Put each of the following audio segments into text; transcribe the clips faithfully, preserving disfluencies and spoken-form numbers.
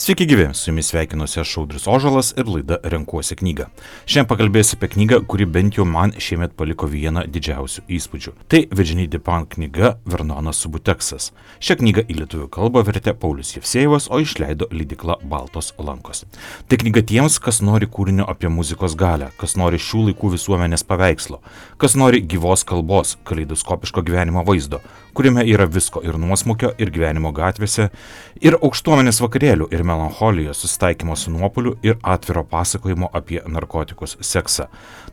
Sveiki gyvi, su jumis sveikinuosi aš Audrius Ožalas ir laida Renkuosi knygą. Šiandien pakalbėsiu apie knygą, kuri bent jau man šiemet paliko vieną didžiausių įspūdžių. Tai Virginie Despentes knyga Vernonas Subuteksas. Šią knygą į lietuvių kalbą vertė Paulius Jevsejevas, o išleido leidykla Baltos lankos. Tai knyga tiems, kas nori kūrinio apie muzikos galią, kas nori šių laikų visuomenės paveikslo, kas nori gyvos kalbos, kaleidoskopiško gyvenimo vaizdo, kuriame yra visko ir nuosmukio, ir gyvenimo gatvėse, ir aukštuomenės vakarėlių, ir melancholijos, susitaikymo su nuopuliu ir atviro pasakojimo apie narkotikus, seksą.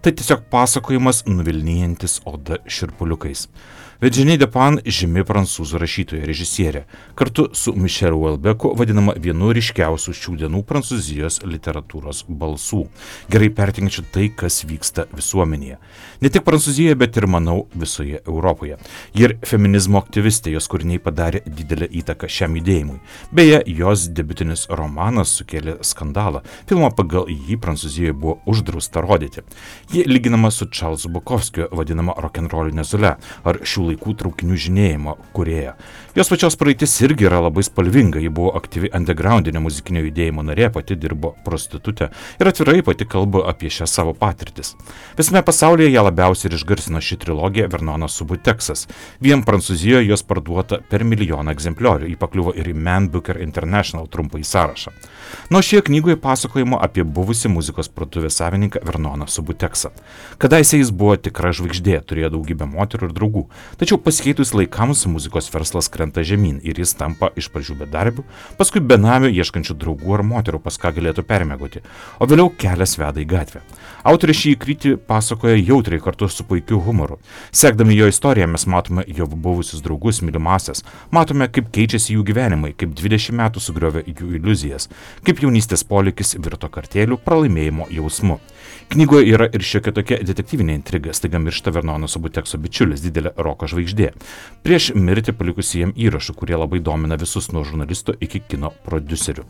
Tai tiesiog pasakojimas nuvilnijantis oda šiurpuliukais. Virginie Despentes žymi prancūzų rašytoja režisierė, kartu su Michelu Houellebecqu vadinama vienu ryškiausių šių dienų prancūzijos literatūros balsų, gerai pertinkančių tai, kas vyksta visuomenėje. Ne tik Prancūzijoje, bet ir, manau, visoje Europoje. Ji ir feminizmo aktyvistė, jos kūriniai padarė didelę įtaką šiam judėjimui. Beje, jos debiutinis romanas sukėlė skandalą. Filmą pagal jį Prancūzijoje buvo uždrausta rodyti. Ji lyginama su Charlesu Bukowskiu, vadinama rokenroline Zole, ar šių laikų traukinių žinėjimo kūrėja. Jos pačios praeitis irgi yra labai spalvinga. Ji buvo aktyvi undergroundinio muzikinio judėjimo narė, pati dirbo prostitutė ir atvirai pati kalba apie šią savo patirtis. Visame pasaulyje ją labiausiai ir išgarsino ši trilogija Vernonas Subuteksas. Vien Prancūzijoje jos parduota per milijoną egzempliorių. Ji pakliuvo ir į Man Booker International trumpąjį sąrašą. Nuo šioje knygoje pasakojimo apie buvusį muzikos parduotuvės savininką Vernoną Subuteksą. Kadaise jis buvo tikra žvaigždė, turėjo daugybę moterų ir draugų. Tačiau pasikeitus laikams muzikos verslas krenta žemyn ir jis tampa iš pradžių bedarbių, paskui benamių ieškančių draugų ar moterų, pas ką galėtų permiegoti, o vėliau kelias veda į gatvę. Autoriai šį įkrytį pasakoja jautriai kartu su puikiu humoru. Sekdami jo istoriją mes matome jo buvusius draugus, mylimasias, matome, kaip keičiasi jų gyvenimai, kaip dvidešimt metų sugriovė jų iliuzijas, kaip jaunystės polėkis virto kartėlių pralaimėjimo jausmu. Knygoje yra ir šiokia tokia detektyvinė intriga, staiga miršta Vernono Subutekso bičiulis, didelė roko žvaigždė, prieš mirtį palikusi jam įrašų, kurie labai domina visus nuo žurnalisto iki kino prodiuserių.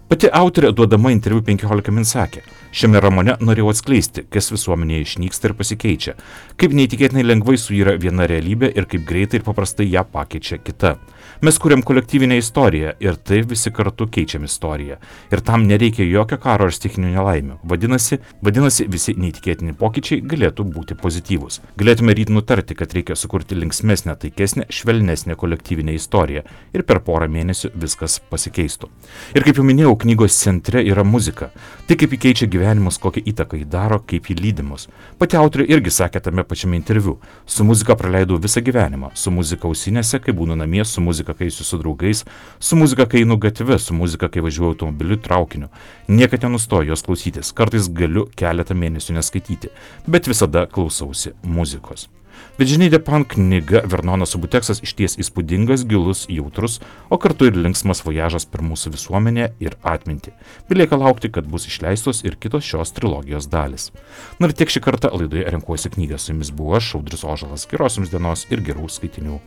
Pati autorė duodama interviu penkiolika min sakė: šiame romane norėjau atskleisti, kas visuomenėje išnyksta ir pasikeičia, kaip neįtikėtinai lengvai suyra viena realybė ir kaip greitai ir paprastai ją pakeičia kita. Mes kuriam kolektyvinę istoriją ir taip visi kartu keičiam istoriją. Ir tam nereikia jokio karo ar stichinių nelaimių. Vadinasi, vadinasi, visi neįtikėtini pokyčiai galėtų būti pozityvūs. Galėtume ryt nutarti, kad reikia sukurti linksmesnę, taikesnę, švelnesnę kolektyvinę istoriją ir per porą mėnesių viskas pasikeistų. Ir kaip jau minėjau, knygos centre yra muzika. Tai kaip ji keičia gyvenimus, kokią įtaką ji daro, kaip ji lydi mus. Pati autorė irgi sakė tame pačiame interviu: su muzika praleidau visą gyvenimą, su muzika ausinėse, kai būnu namie, su muzika kai eisiu su draugais, su muzika kai einu gatve, su muzika kai važiuoju automobiliu, traukiniu. Niekad nenustoju jos klausytis, kartais galiu keletą mėnesių neskaityti, bet visada klausausi muzikos. Virginie Despentes knyga Vernonas Subuteksas išties įspūdingas, gilus, jautrus, o kartu ir linksmas vojažas per mūsų visuomenę ir atmintį. Belieka laukti, kad bus išleistos ir kitos šios trilogijos dalis. Na ir tiek šį kartą laidoje Renkuosi knygą. Su jumis buvo aš, Audrius Ožalas. Geros jums dienos ir gerų skaitinių.